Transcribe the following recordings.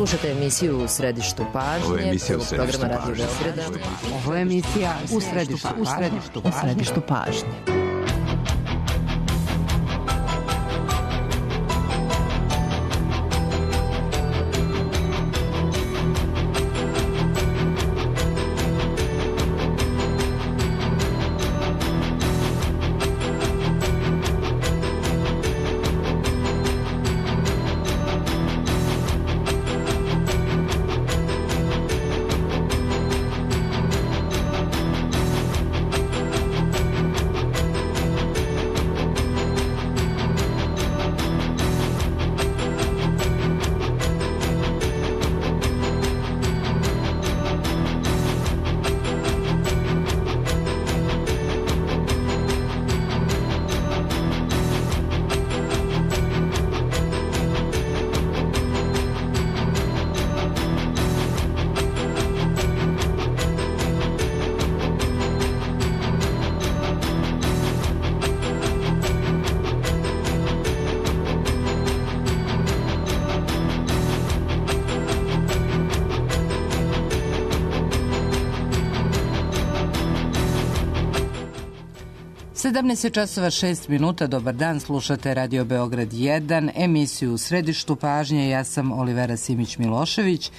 Slušate emisiju U središtu pažnje, programa Radio Beograda. Ovo je emisija U središtu pažnje. časova 6 minuta, dobar dan, slušate Radio Beograd 1, emisiju U središtu pažnje, ja sam Olivera Simić-Milošević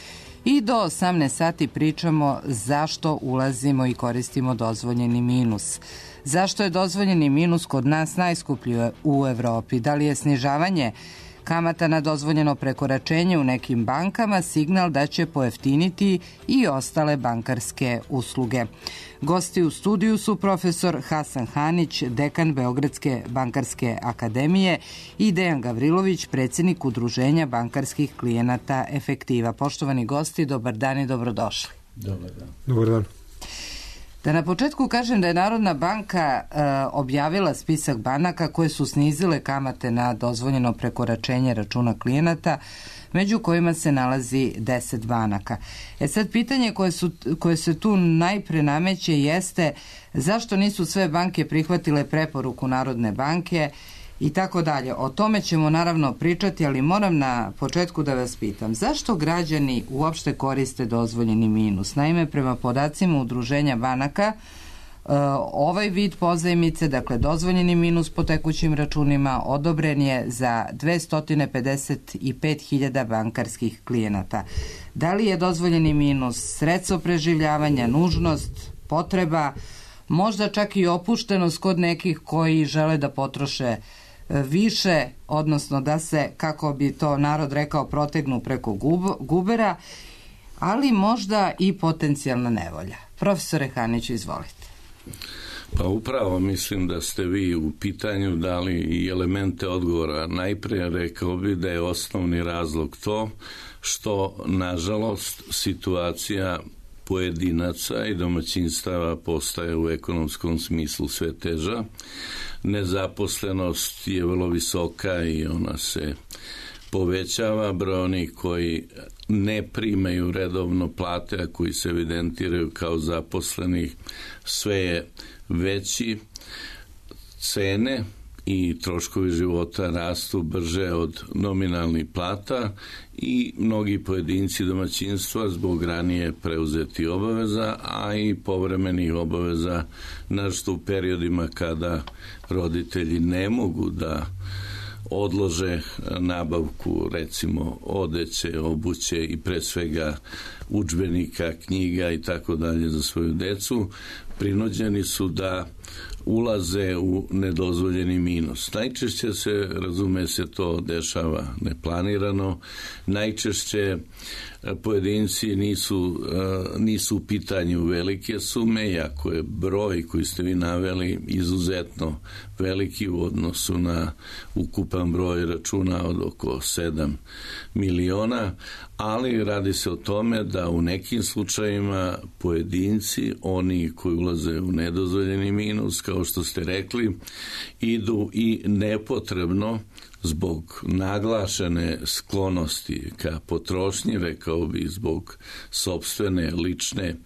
i do 18 sati pričamo zašto ulazimo i koristimo dozvoljeni minus. Zašto je dozvoljeni minus kod nas najskuplji u Evropi? Da li je snižavanje kamata na dozvoljeno prekoračenje u nekim bankama signal da će pojeftiniti i ostale bankarske usluge? Gosti u studiju su profesor Hasan Hanić, dekan Beogradske bankarske akademije i Dejan Gavrilović, predsjednik Udruženja bankarskih klijenata Efektiva. Poštovani gosti, dobar dan i dobrodošli. Dobar dan. Dobar dan. Da na početku kažem da je Narodna banka objavila spisak banaka koje su snizile kamate na dozvoljeno prekoračenje računa klijenata, među kojima se nalazi 10 banaka. Sad pitanje koje se tu najpre nameće jeste zašto nisu sve banke prihvatile preporuku Narodne banke i tako dalje. O tome ćemo naravno pričati, ali moram na početku da vas pitam, zašto građani uopšte koriste dozvoljeni minus? Naime, prema podacima Udruženja banaka, ovaj vid pozajmice, dakle dozvoljeni minus po tekućim računima, odobren je za 255.000 bankarskih klijenata. Da li je dozvoljeni minus sredstvo preživljavanja, nužnost, potreba, možda čak i opuštenost kod nekih koji žele da potroše više, odnosno da se, kako bi to narod rekao, protegnu preko gubera, ali možda i potencijalna nevolja. Profesore Haniću, izvolite. Pa upravo mislim da ste vi u pitanju dali i elemente odgovora. Najprije rekao bi da je osnovni razlog to što, nažalost, situacija pojedinaca i domaćinstava postaje u ekonomskom smislu sve teža. Nezaposlenost je vrlo visoka i ona se povećava. Broj onih koji ne primaju redovno plate, a koji se evidentiraju kao zaposlenih, sve je veći. Cene i troškovi života rastu brže od nominalnih plata i mnogi pojedinci domaćinstva zbog ranije preuzeti obaveza, a i povremenih obaveza, naročito u periodima kada roditelji ne mogu da odlože nabavku, recimo odeće, obuće i pre svega udžbenika, knjiga i tako dalje za svoju decu, prinuđeni su da ulaze u nedozvoljeni minus. Najčešće se, razume se, to dešava neplanirano. Najčešće pojedinci nisu u pitanju velike sume, iako je broj koji ste vi naveli izuzetno veliki u odnosu na ukupan broj računa od oko 7 miliona, ali radi se o tome da u nekim slučajima pojedinci, oni koji ulaze u nedozvoljeni minus, kao što ste rekli, idu i nepotrebno zbog naglašene sklonosti ka potrošnji, rekao bi zbog sopstvene lične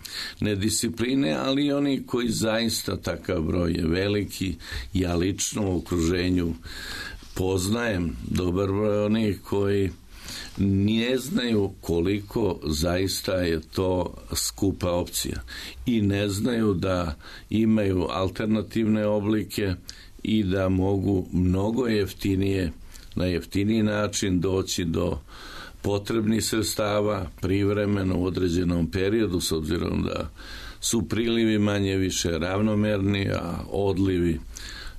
nediscipline, ali i oni koji zaista, takav broj je veliki. Ja lično u okruženju poznajem dobar broj onih koji ne znaju koliko zaista je to skupa opcija i ne znaju da imaju alternativne oblike i da mogu mnogo jeftinije, na jeftiniji način doći do potrebnih sredstava privremeno u određenom periodu, s obzirom da su prilivi manje više ravnomerni, a odlivi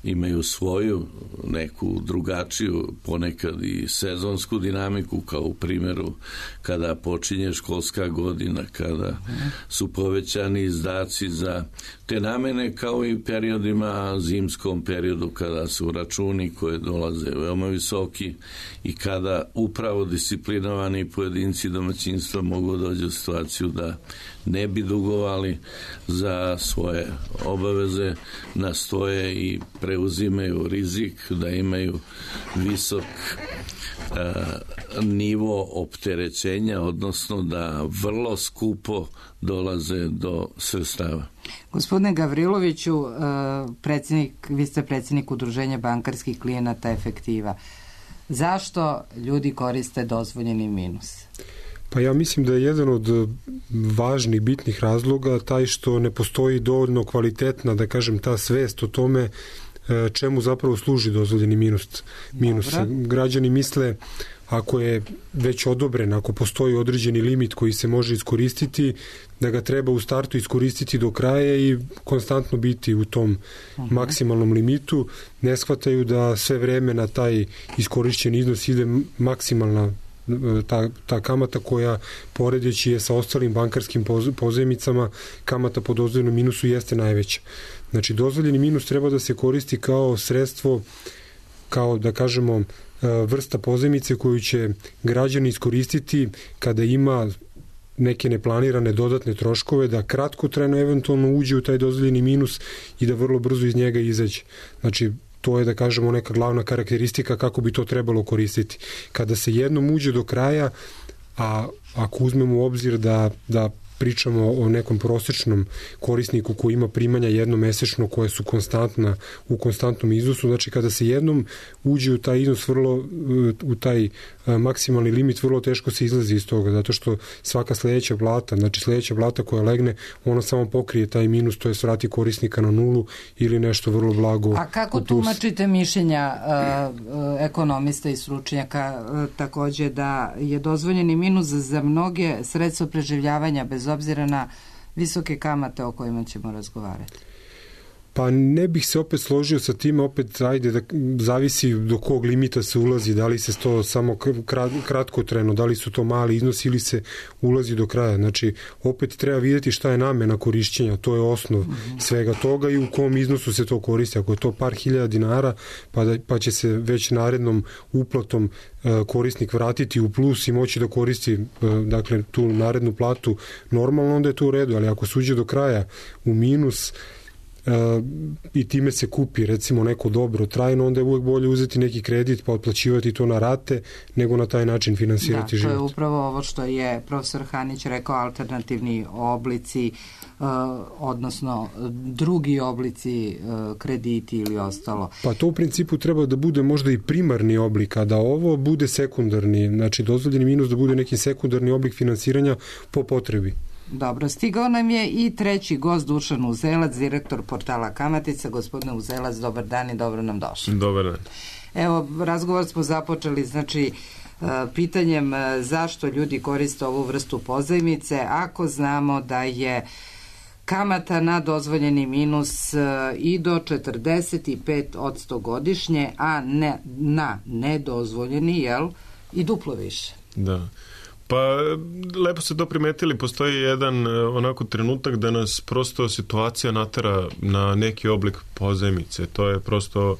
imaju svoju neku drugačiju, ponekad i sezonsku dinamiku, kao u primjeru kada počinje školska godina, kada su povećani izdaci za te namene, kao i periodima, zimskom periodu, kada su računi koje dolaze veoma visoki i kada upravo disciplinovani pojedinci domaćinstva mogu doći u situaciju da ne bi dugovali za svoje obaveze, nastoje i preuzimaju rizik da imaju visok nivo opterećenja, odnosno da vrlo skupo dolaze do sredstava. Gospodine Gavriloviću, vi ste predsjednik Udruženja bankarskih klijenata Efektiva. Zašto ljudi koriste dozvoljeni minus? Pa ja mislim da je jedan od važnih, bitnih razloga taj što ne postoji dovoljno kvalitetna, da kažem, ta svest o tome čemu zapravo služi dozvoljeni minus. Građani misle, ako je već odobren, ako postoji određeni limit koji se može iskoristiti, da ga treba u startu iskoristiti do kraja i konstantno biti u tom maksimalnom limitu. Ne shvataju da sve vreme na taj iskorišćeni iznos ide maksimalna ta kamata koja, poredeći je sa ostalim bankarskim pozajmicama, kamata po dozvoljenom minusu jeste najveća. Znači, dozvoljeni minus treba da se koristi kao sredstvo, kao da kažemo vrsta pozajmice koju će građani iskoristiti kada ima neke neplanirane dodatne troškove, da kratkotrajno eventualno uđe u taj dozvoljeni minus i da vrlo brzo iz njega izađe. Znači, to je, da kažemo, neka glavna karakteristika kako bi to trebalo koristiti. Kada se jednom uđe do kraja, a ako uzmemo u obzir da pričamo o nekom prosječnom korisniku koji ima primanja jednomesečno koje su konstantna u konstantnom iznosu, znači kada se jednom uđe u taj iznos, u taj maksimalni limit, vrlo teško se izlazi iz toga, zato što svaka sledeća plata koja legne, ona samo pokrije taj minus, to je vrati korisnika na nulu ili nešto vrlo blago. A kako tumačite mišljenja ekonomista i stručnjaka takođe da je dozvoljeni minus za mnoge sredstvo preživljavanja bez obzira na visoke kamate o kojima ćemo razgovarati? Pa ne bih se opet složio sa tim, opet da zavisi do kog limita se ulazi, da li se to samo kratkotrajno, da li su to mali iznosi ili se ulazi do kraja. Znači, opet treba vidjeti šta je namena korišćenja, to je osnov svega toga i u kom iznosu se to koristi. Ako je to par hiljada dinara, pa će se već narednom uplatom korisnik vratiti u plus i moći da koristi dakle, tu narednu platu normalno, onda je to u redu, ali ako se uđe do kraja u minus i time se kupi recimo neko dobro trajno, onda je uvek bolje uzeti neki kredit pa otplaćivati to na rate nego na taj način finansirati život. Da, to je upravo ovo što je profesor Hanić rekao, alternativni oblici, odnosno drugi oblici krediti ili ostalo. Pa to u principu treba da bude možda i primarni oblik, a da ovo bude sekundarni, znači dozvoljeni minus da bude neki sekundarni oblik finansiranja po potrebi. Dobro, stigao nam je i treći gost, Dušan Uzelac, direktor portala Kamatica. Gospodine Uzelac, dobar dan i dobro nam došli. Dobar dan. Evo, razgovor smo započeli, znači, pitanjem zašto ljudi koriste ovu vrstu pozajmice, ako znamo da je kamata na dozvoljeni minus i do 45% godišnje, a na nedozvoljeni, i duplo više. Da. Pa, lepo ste to primetili, postoji jedan onako trenutak da nas prosto situacija natera na neki oblik pozajmice. To je prosto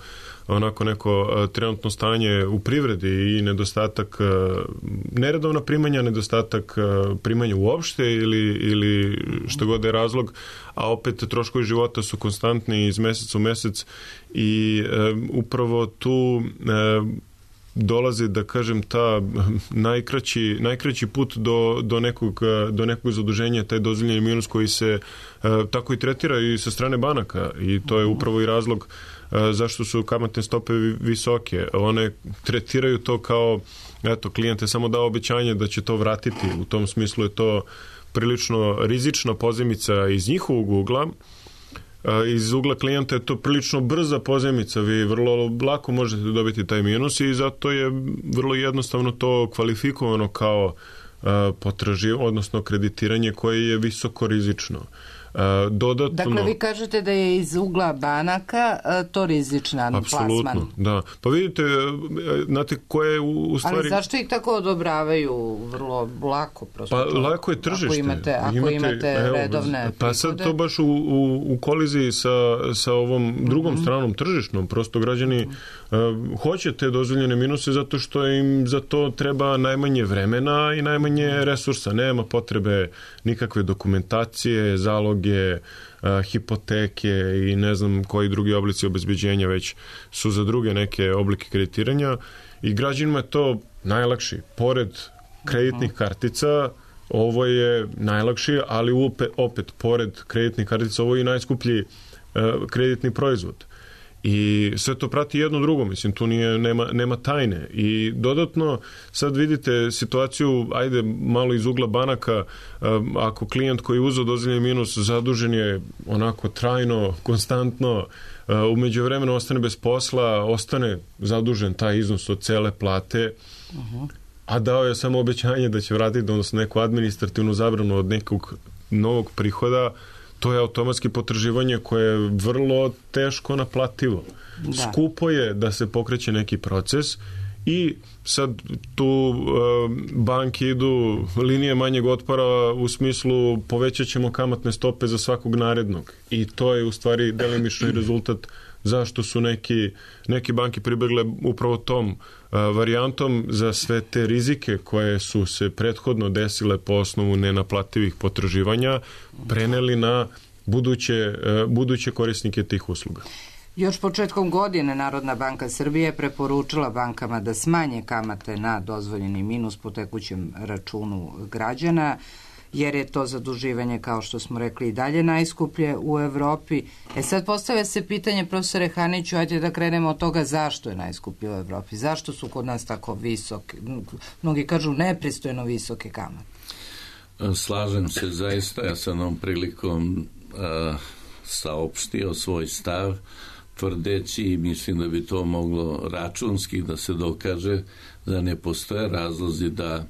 onako neko trenutno stanje u privredi i nedostatak neredovna primanja, nedostatak primanja uopšte ili što god je razlog, a opet troškovi života su konstantni iz meseca u mesec i upravo tu dolazi, da kažem, ta najkraći put do nekog zaduženja, taj dozvoljeni minus koji se tako i tretira i sa strane banaka i to je upravo i razlog zašto su kamatne stope visoke. One tretiraju to kao, eto, klijent je samo dao obećanje da će to vratiti. U tom smislu je to prilično rizična pozajmica iz njihovog ugla. Iz ugla klijenta je to prilično brza pozajmica, vi vrlo lako možete dobiti taj minus i zato je vrlo jednostavno to kvalifikovano kao odnosno kreditiranje koje je visoko rizično. Dodatno, dakle, vi kažete da je iz ugla banaka to rizičan plasman. Apsolutno, da. Pa vidite, znate koje je u stvari... Ali zašto ih tako odobravaju vrlo lako? Prosto pa lako je tržište. Ako imate redovne prihode. Pa sad to baš u koliziji sa ovom drugom stranom tržišnom. Prosto građani hoće te dozvoljene minuse zato što im za to treba najmanje vremena i najmanje resursa. Nema potrebe nikakve dokumentacije, zaloge, hipoteke i ne znam koji drugi oblici obezbeđenja već su za druge neke oblike kreditiranja i građanima je to najlakši. Pored kreditnih kartica ovo je najlakši, ali opet pored kreditnih kartica ovo je i najskuplji kreditni proizvod. I sve to prati jedno drugo, mislim, tu nema tajne. I dodatno, sad vidite situaciju, ajde malo iz ugla banaka, ako klijent koji je uzeo dozvoljeni minus zadužen je onako trajno, konstantno, u međuvremenu ostane bez posla, ostane zadužen taj iznos od cele plate, a dao je samo obećanje da će vratiti, odnosno neku administrativnu zabranu od nekog novog prihoda, to je automatski potraživanje koje je vrlo teško naplativo. Da. Skupo je da se pokreće neki proces i sad tu banke idu linije manjeg otpora u smislu povećat ćemo kamatne stope za svakog narednog. I to je u stvari delimično i rezultat zašto su neki banke pribegle upravo tom varijantom za sve te rizike koje su se prethodno desile po osnovu nenaplativih potraživanja preneli na buduće korisnike tih usluga. Još početkom godine Narodna banka Srbije preporučila bankama da smanje kamate na dozvoljeni minus po tekućem računu građana, jer je to zaduživanje, kao što smo rekli, i dalje najskuplje u Evropi. Sad postavlja se pitanje, profesore Haniću, ajde da krenemo od toga zašto je najskuplje u Evropi. Zašto su kod nas tako visoke, mnogi kažu nepristojno visoke kamate? Slažem se zaista, ja sam ovom prilikom saopštio svoj stav, tvrdeći i mislim da bi to moglo računski da se dokaže da ne postoje razlozi da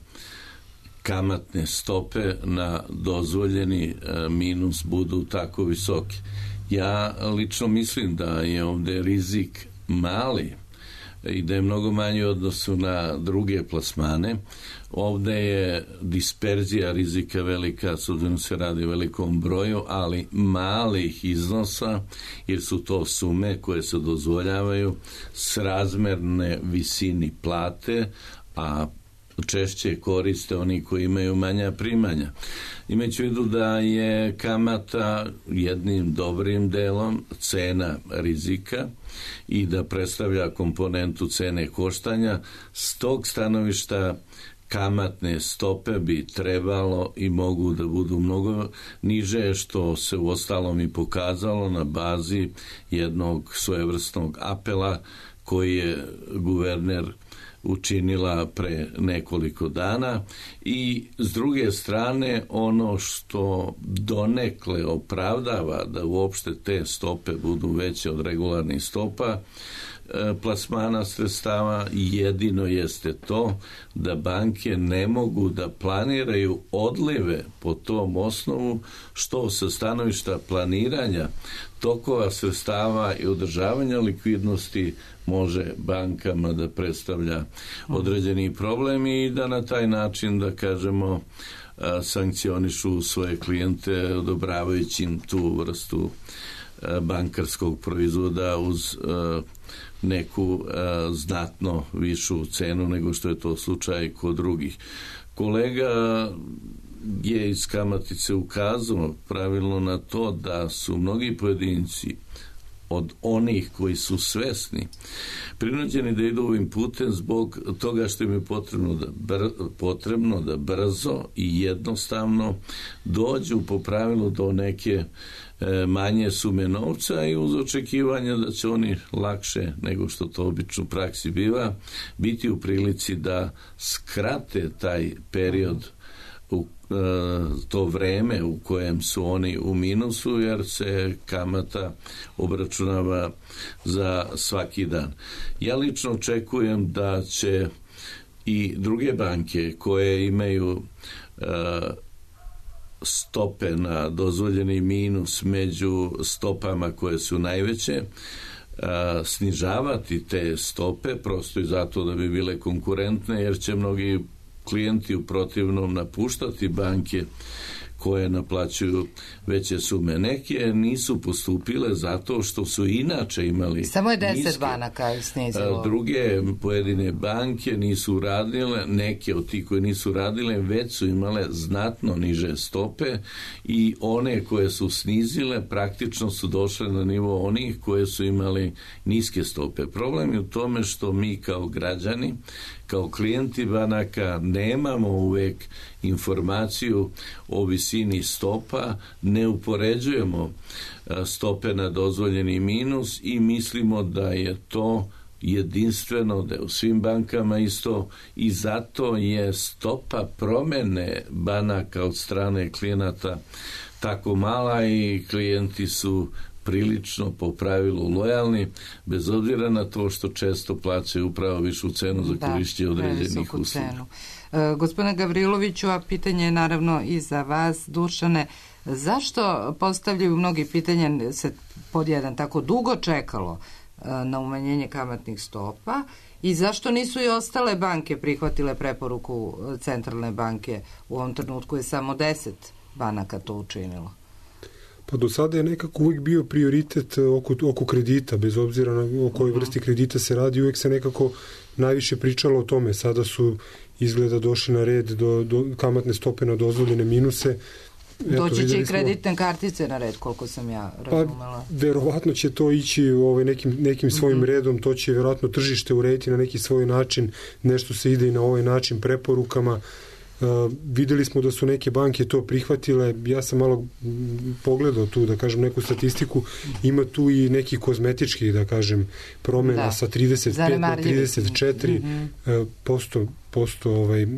kamatne stope na dozvoljeni minus budu tako visoke. Ja lično mislim da je ovde rizik mali i da je mnogo manji u odnosu na druge plasmane. Ovde je disperzija rizika velika, s obzirom se radi o velikom broju, ali malih iznosa, jer su to sume koje se dozvoljavaju srazmerne visini plate, a češće koriste oni koji imaju manja primanja. Imajući u vidu da je kamata jednim dobrim delom cena rizika i da predstavlja komponentu cene koštanja, s tog stanovišta kamatne stope bi trebalo i mogu da budu mnogo niže, što se u ostalom i pokazalo na bazi jednog svojevrsnog apela koji je guverner učinila pre nekoliko dana. I s druge strane, ono što donekle opravdava da uopšte te stope budu veće od regularnih stopa plasmana sredstava, jedino jeste to da banke ne mogu da planiraju odlive po tom osnovu, što sa stanovišta planiranja tokova sredstava i održavanja likvidnosti može bankama da predstavlja određeni problem i da na taj način, da kažemo, sankcionišu svoje klijente odobravajući im tu vrstu bankarskog proizvoda uz neku znatno višu cenu nego što je to slučaj kod drugih. Kolega je iz Kamatice ukazao pravilno na to da su mnogi pojedinci od onih koji su svesni prinuđeni da idu ovim putem zbog toga što im je potrebno da brzo i jednostavno dođu po pravilu do neke manje sume novca i uz očekivanje da će oni lakše nego što to obično u praksi biva biti u prilici da skrate taj period, to vreme u kojem su oni u minusu, jer se kamata obračunava za svaki dan. Ja lično očekujem da će i druge banke koje imaju stope na dozvoljeni minus među stopama koje su najveće, snižavati te stope prosto i zato da bi bile konkurentne, jer će mnogi klijenti u protivnom napuštati banke koje naplaćuju veće sume. Neke nisu postupile zato što su inače imali samo je 10 niske, banaka snizilo. Druge pojedine banke nisu radile, neke od tih koje nisu radile već su imale znatno niže stope i one koje su snizile praktično su došle na nivo onih koje su imali niske stope. Problem je u tome što mi kao građani, kao klijenti banaka nemamo uvek informaciju o visini stopa, ne upoređujemo stope na dozvoljeni minus i mislimo da je to jedinstveno, da je u svim bankama isto i zato je stopa promene banaka od strane klijenata tako mala i klijenti su prilično po pravilu lojalni, bez obzira na to što često plaćaju upravo višu cenu za korišćenje određenih usluga. Gospodine Gavriloviću, a pitanje je naravno i za vas, Dušane, zašto postavljaju mnogi pitanje, se pod jedan tako dugo čekalo na umanjenje kamatnih stopa i zašto nisu i ostale banke prihvatile preporuku Centralne banke? U ovom trenutku je samo 10 banaka to učinilo. Pa do sada je nekako uvijek bio prioritet oko kredita, bez obzira o kojoj vrsti kredita se radi, uvijek se nekako najviše pričalo o tome. Sada su izgleda došli na red do kamatne stope na dozvoljene minuse. Doći će i kreditne kartice na red, koliko sam ja razumela. Pa, verovatno će to ići nekim svojim redom, to će verovatno tržište urediti na neki svoj način, nešto se ide i na ovaj način preporukama. Videli smo da su neke banke to prihvatile, ja sam malo pogledao tu, da kažem, neku statistiku, ima tu i neki kozmetički, da kažem, promjena sa 35 na 34%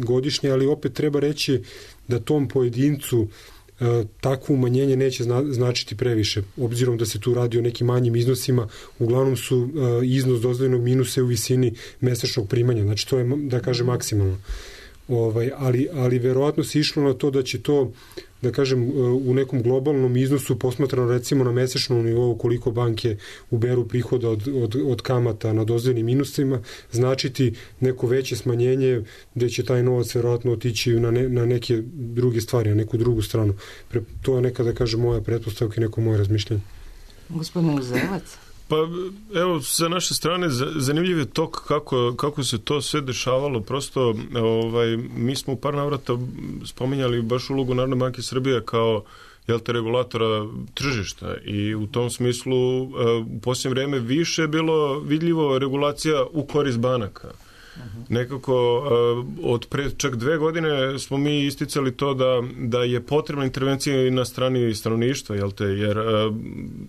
godišnje, ali opet treba reći da tom pojedincu takvo umanjenje neće značiti previše, obzirom da se tu radi o nekim manjim iznosima, uglavnom su iznos dozvoljenog minusa u visini mesečnog primanja, znači to je, da kažem, maksimalno. Ali verovatno se išlo na to da će to, da kažem, u nekom globalnom iznosu posmatrano recimo na mesečnom nivou koliko banke uberu prihoda od kamata na dozvoljenim minusima, značiti neko veće smanjenje gde će taj novac verovatno otići na neke druge stvari, na neku drugu stranu. To je neka, da kažem, moja pretpostavka i neko moje razmišljanje. Gospodin Uzelac? Pa evo, sa naše strane zanimljiv je tok kako se to sve dešavalo. Prosto mi smo u par navrata spominjali baš ulogu Narodne banke Srbije kao regulatora tržišta i u tom smislu u posljednje vrijeme više je bilo vidljivo regulacija u korist banaka. Nekako od pred čak 2 godine smo mi isticali to da je potrebna intervencija i na strani stanovništva, jer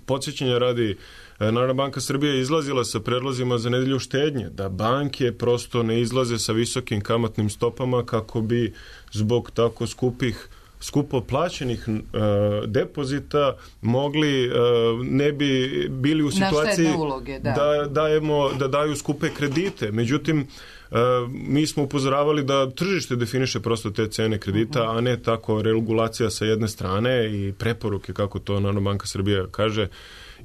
podsjećanja radi Narodna banka Srbije izlazila sa predlozima za nedelju štednje, da banke prosto ne izlaze sa visokim kamatnim stopama kako bi zbog tako skupo plaćenih depozita mogli, ne bi bili u situaciji uloge, da daju skupe kredite. Međutim, mi smo upozoravali da tržište definiše prosto te cene kredita, a ne tako regulacija sa jedne strane i preporuke, kako to Narodna banka Srbije kaže.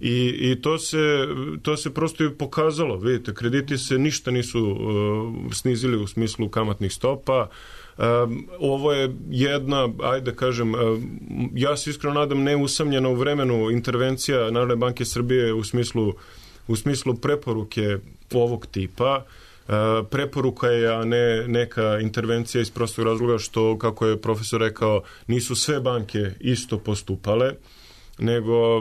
I to se prosto i pokazalo. Vidite, krediti se ništa nisu snizili u smislu kamatnih stopa. Ovo je jedna, ajde kažem, ja se iskreno nadam neusamljena u vremenu intervencija Narodne banke Srbije u smislu preporuke ovog tipa. Preporuka je, a ne neka intervencija iz prostog razloga što, kako je profesor rekao, nisu sve banke isto postupale. nego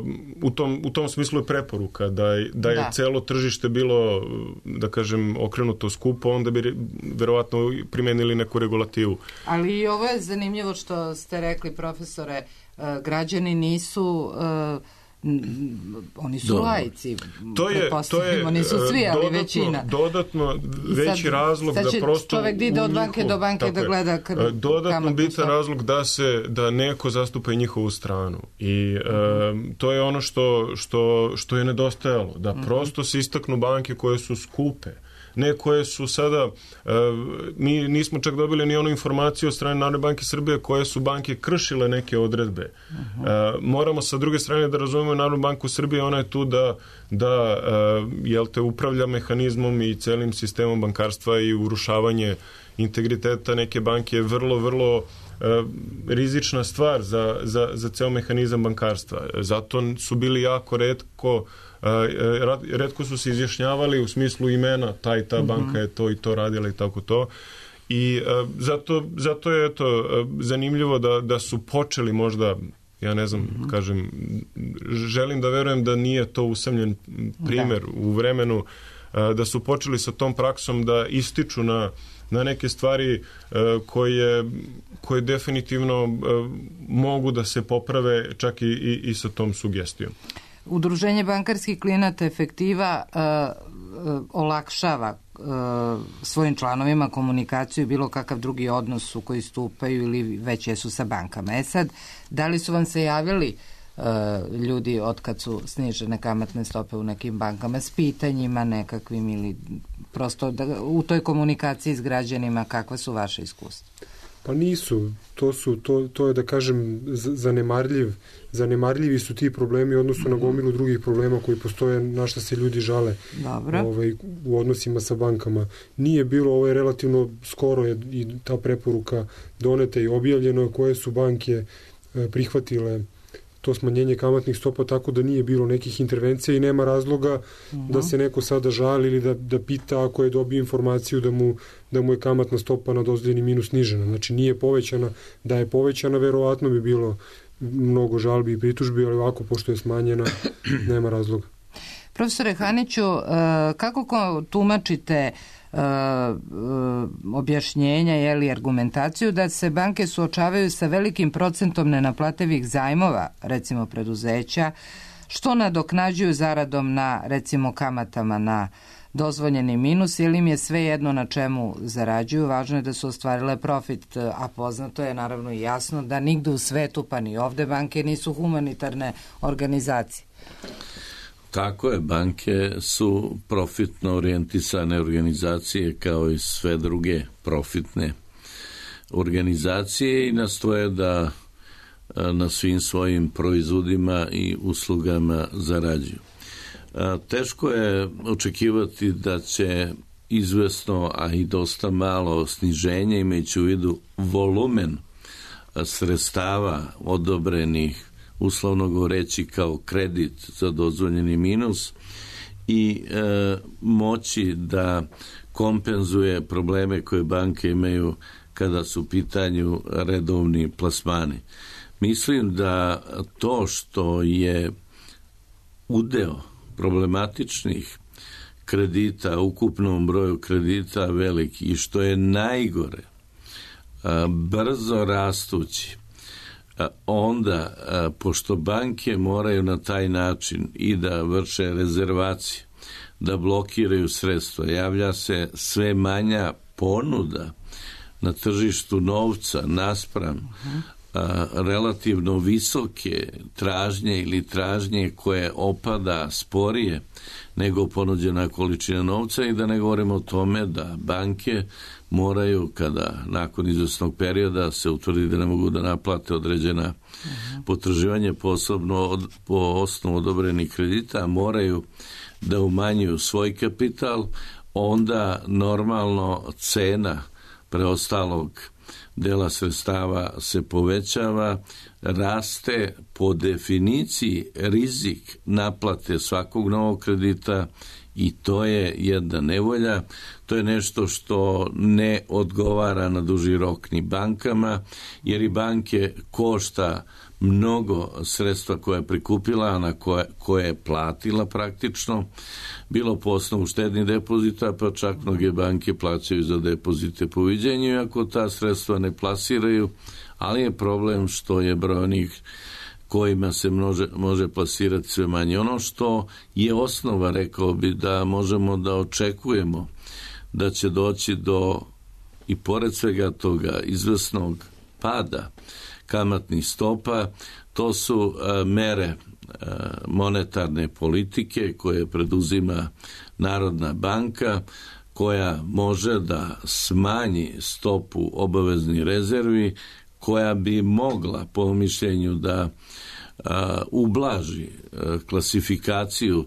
u tom smislu je preporuka da je celo tržište bilo, da kažem, okrenuto skupo, onda bi verovatno primenili neku regulativu. Ali i ovo je zanimljivo što ste rekli, profesore, građani nisu oni su laici. Oni su svi, ali većina. Dodatno veći razlog da prosto čovek ide od banke do banke da gleda dodatno bitan razlog da neko zastupa i njihovu stranu. I to je ono što je nedostajalo. Da prosto se istaknu banke koje su skupe. Ne koje su sada, mi nismo čak dobili ni onu informaciju od strane Narodne banke Srbije koje su banke kršile neke odredbe. Moramo sa druge strane da razumemo Narodnu banku Srbije, ona je tu da upravlja mehanizmom i celim sistemom bankarstva i urušavanje integriteta neke banke je vrlo, vrlo rizična stvar za ceo mehanizam bankarstva. Zato su bili jako retko su se izjašnjavali u smislu imena, ta banka je to i to radila i tako to. I zato je zanimljivo da su počeli možda, ja ne znam, kažem, želim da verujem da nije to usamljen primer u vremenu, da su počeli sa tom praksom da ističu na neke stvari koje definitivno mogu da se poprave čak i sa tom sugestijom. Udruženje bankarskih klijenata Efektiva olakšava svojim članovima komunikaciju i bilo kakav drugi odnos u koji stupaju ili već jesu sa bankama. Sad, da li su vam se javili ljudi od kad su snižene kamatne stope u nekim bankama s pitanjima nekakvim ili prosto u toj komunikaciji s građanima, kakva su vaše iskustva? Pa nisu. To je da kažem zanemarljivi su ti problemi u odnosu na gomilu drugih problema koji postoje, na šta se ljudi žale u odnosima sa bankama. Nije bilo, ovo je relativno skoro i ta preporuka doneta i objavljeno koje su banke prihvatile to smanjenje kamatnih stopa, tako da nije bilo nekih intervencija i nema razloga da se neko sada žali ili da pita ako je dobio informaciju da mu je kamatna stopa na dozvoljeni minus snižena. Znači nije povećana. Da je povećana, verovatno bi bilo mnogo žalbi i pritužbi, ali ovako, pošto je smanjena, nema razloga. Profesore Haniću, kako tumačite objašnjenja ili argumentaciju da se banke suočavaju sa velikim procentom nenaplativih zajmova, recimo preduzeća, što nadoknađuju zaradom na, recimo, kamatama na dozvoljeni minus, ili im je sve jedno na čemu zarađuju, važno je da su ostvarile profit, a poznato je naravno i jasno da nigde u svetu, pa ni ovde, banke nisu humanitarne organizacije. Tako je, banke su profitno orijentisane organizacije kao i sve druge profitne organizacije i nastoje da na svim svojim proizvodima i uslugama zarađuju. Teško je očekivati da će izvesno, a i dosta malo sniženje, imajući u vidu volumen sredstava odobrenih, uslovno govoreći kao kredit za dozvoljeni minus, i moći da kompenzuje probleme koje banke imaju kada su u pitanju redovni plasmani. Mislim da to što je udeo problematičnih kredita, ukupnom broju kredita veliki i što je najgore, brzo rastući, onda, pošto banke moraju na taj način i da vrše rezervacije, da blokiraju sredstva, javlja se sve manja ponuda na tržištu novca naspram relativno visoke tražnje ili tražnje koje opada sporije nego ponuđena količina novca, i da ne govorimo o tome da banke moraju, kada nakon izvesnog perioda se utvrdi da ne mogu da naplate određena potraživanja, posebno po osnovu odobrenih kredita, moraju da umanjuju svoj kapital, onda normalno cena preostalog dela sredstava se povećava, raste po definiciji rizik naplate svakog novog kredita i to je jedna nevolja. To je nešto što ne odgovara na duži rok ni bankama, jer i banke košta mnogo sredstva koja je prikupila, a na koje je platila praktično, bilo po osnovu štednih depozita, pa čak mnoge banke plaćaju za depozite po viđenju, iako ta sredstva ne plasiraju, ali je problem što je broj onih kojima se može plasirati sve manje. Ono što je osnova, rekao bi, da možemo da očekujemo da će doći do, i pored svega toga, izvesnog pada kamatnih stopa, to su mere monetarne politike koje preduzima Narodna banka, koja može da smanji stopu obaveznih rezervi, koja bi mogla, po mišljenju, da ublaži klasifikaciju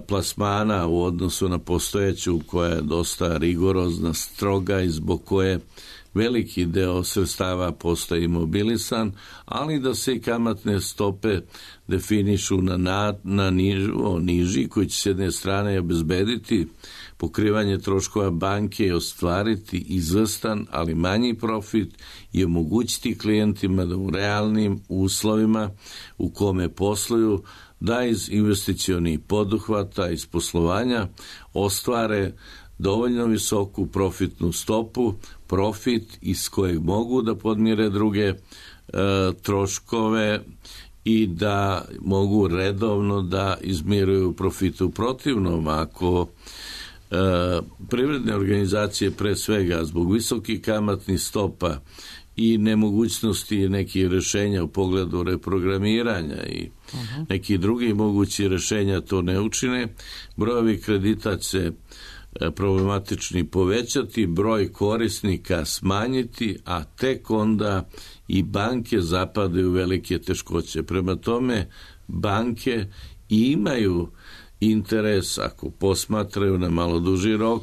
plasmana u odnosu na postojeću, koja je dosta rigorozna, stroga i zbog koje veliki deo sredstava postaje imobilisan, ali da se i kamatne stope definišu na niži, koji će s jedne strane obezbediti pokrivanje troškova banke i ostvariti izvestan, ali manji profit i omogućiti klijentima da u realnim uslovima u kome posluju, da iz investicionih poduhvata, iz poslovanja ostvare dovoljno visoku profitnu stopu, profit iz kojeg mogu da podmire druge troškove i da mogu redovno da izmiruju profite. U protivnom, ako privredne organizacije pre svega zbog visokih kamatnih stopa i nemogućnosti nekih rešenja u pogledu reprogramiranja i nekih drugih mogućih rešenja to ne učine, brojevi kredita će problematični povećati, broj korisnika smanjiti, a tek onda i banke zapadaju velike teškoće. Prema tome, banke imaju interes, ako posmatraju na malo duži rok,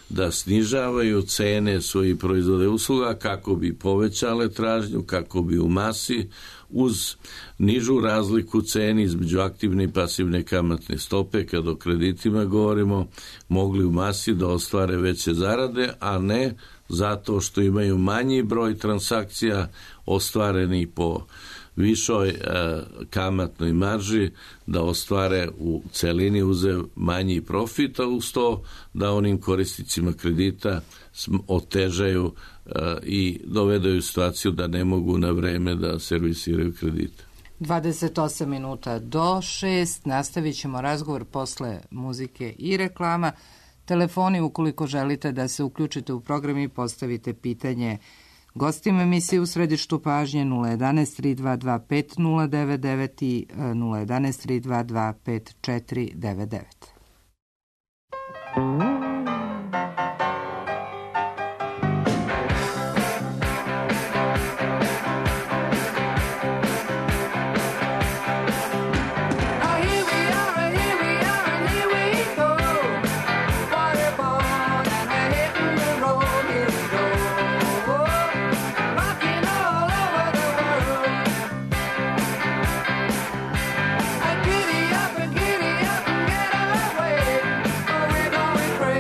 da snižavaju cene svojih proizvoda i usluga kako bi povećale tražnju, kako bi u masi uz nižu razliku ceni između aktivne i pasivne kamatne stope, kada o kreditima govorimo, mogli u masi da ostvare veće zarade, a ne zato što imaju manji broj transakcija ostvareni po višoj kamatnoj marži, da ostvare u celini uzev manji profit, a uz to da onim korisnicima kredita otežaju i dovedaju situaciju da ne mogu na vreme da servisiraju kredite. 28 minuta do 6, nastavit ćemo razgovor posle muzike i reklama. Telefoni, ukoliko želite da se uključite u program i postavite pitanje gostima emisije U središtu pažnje, 011 322 5099 i 011 322 5499. Giddy up and get away, or we're going crazy.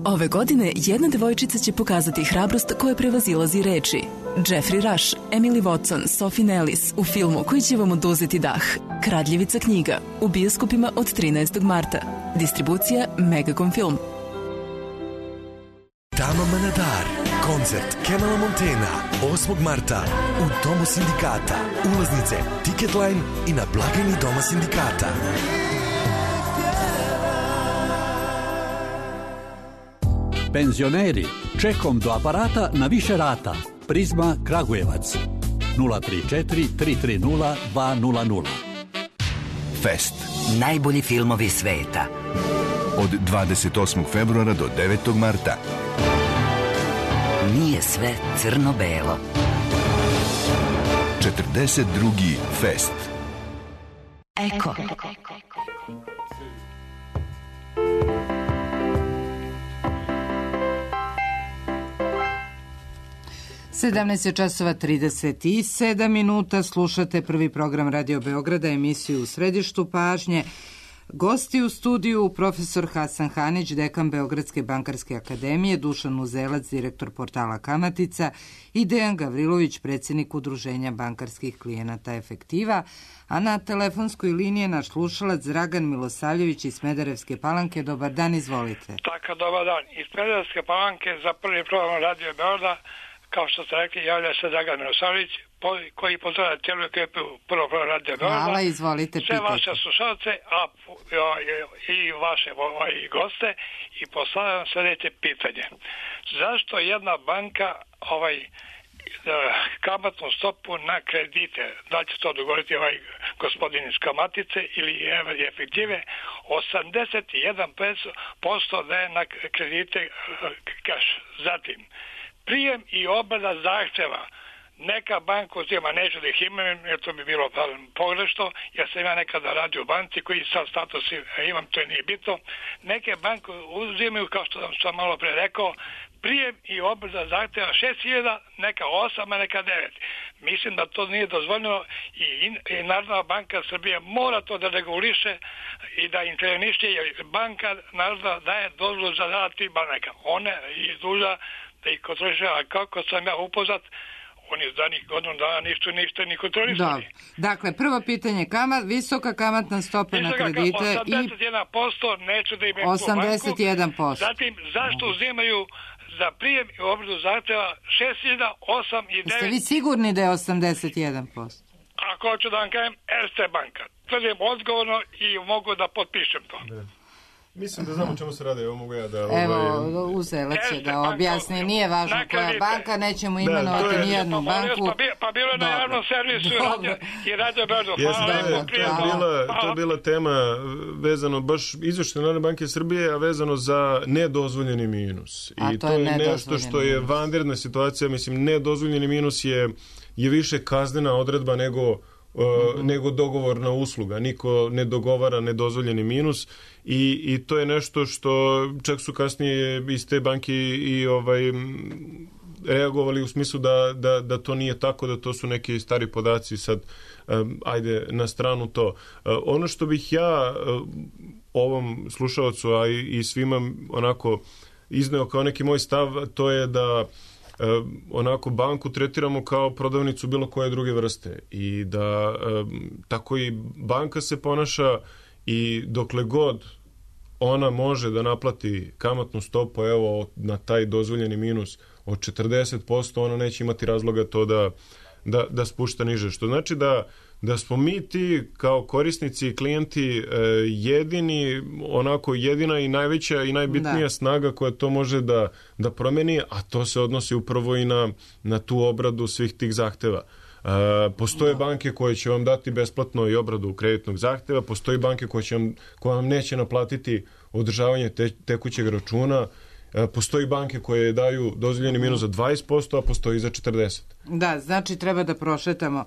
Ove godine jedna devojčica će pokazati hrabrost koja prevazilazi reči. Jeffrey Rush, Emily Watson, Sophie Nellis u filmu koji će vam oduzeti dah. Kradljivica knjiga u bioskopima od 13. marta. Distribucija Megacom Film. Tama Manadar, koncert Kemala Montena, 8. marta u Domu sindikata. Ulaznice Ticketline i na blagajni Doma sindikata. Penzioneri, čekom do aparata na više rata. Prizma Kragujevac 034 330 200. Fest. Najbolji filmovi sveta. Od 28. februara do 9. marta. Nije sve crno-belo. 42. Fest. Eko. 17 časova 37 minuta, slušate prvi program Radio Beograda, emisiju U središtu pažnje. Gosti u studiju profesor Hasan Hanić, dekan Beogradske bankarske akademije, Dušan Muzelac, direktor portala Kamatica i Dejan Gavrilović, predsjednik Udruženja bankarskih klijenata Efektiva, a na telefonskoj liniji je naš slušalac Dragan Milosavljević iz Smederevske Palanke. Dobar dan, izvolite. Tako, dobar dan. Iz Smederevske Palanke za prvi program Radio Beograda, kao što ste rekli, javlja se Dragan Milosavljević, koji pozdravlja cijelu ekipu prvo Radio Beograda. Hvala, izvolite, sve pitajte. vaše slušalce, a i vaše goste, i postavljam sljedeće pitanje. Zašto jedna banka kamatnu stopu na kredite, da će to dogovoriti gospodin iz Kamatice ili Efektive, 81% daje na kredite kaš. Zatim, prijem i obrada zahtjeva. Neka banka uzima, neću da ih imam, jer to bi bilo pogrešno, jer sam ja nekada radio u banci koji sad status imam, to nije bitno. Neke banke uzimaju, kao što sam malo pre rekao, prijem i obrada zahtjeva 6.000, neka 8, a neka 9. Mislim da to nije dozvoljeno i Narodna banka Srbije mora to da reguliše i da interveniše, jer banka Narodna daje dozvolu za rad tih banaka. One je duža da ih kontroliše, a kako sam ja upoznat, oni iz danih godinu dana ništa ni kontrolisali. Dakle, prvo pitanje, visoka kamatna stopa na kredite 81%, neću da imam 81%. Zatim, zašto uzimaju za prijem i obradu zahtjeva 6.000, 8 i 9? Ste vi sigurni da je 81%? Ako hoću da vam kažem, Erste banka. Tvrdim odgovorno i mogu da potpišem to. Ne. Mislim da znamo čemu se radi, evo mogu ja da... Evo, Uzelac će da objasni, nije važno koja banka, nećemo imenovati nijednu banku. Pa bilo je na javnom servisu i Radio Beogradu. To je bila tema vezano, baš izveštaj Narodne banke Srbije, a vezano za nedozvoljeni minus. I to je nešto što je vanredna situacija, mislim, nedozvoljeni minus je više kaznena odredba nego dogovorna usluga. Niko ne dogovara nedozvoljeni minus i to je nešto što čak su kasnije iz te banke i reagovali u smislu da to nije tako, da to su neki stari podaci, sad ajde na stranu to. Ono što bih ja ovom slušalcu, a i svima onako izneo kao neki moj stav, to je da onako banku tretiramo kao prodavnicu bilo koje druge vrste i da tako i banka se ponaša i dokle god ona može da naplati kamatnu stopu evo na taj dozvoljeni minus od 40%, ona neće imati razloga to da spušta niže. Što znači da smo mi ti kao korisnici i klijenti jedina i najveća i najbitnija snaga koja to može da promeni, a to se odnosi upravo i na tu obradu svih tih zahteva. Postoje banke koje će vam dati besplatno i obradu kreditnog zahteva, postoje banke koje vam neće naplatiti održavanje tekućeg računa, postoji banke koje daju dozvoljeni minus za 20%, a postoji za 40%. Da, znači treba da prošetamo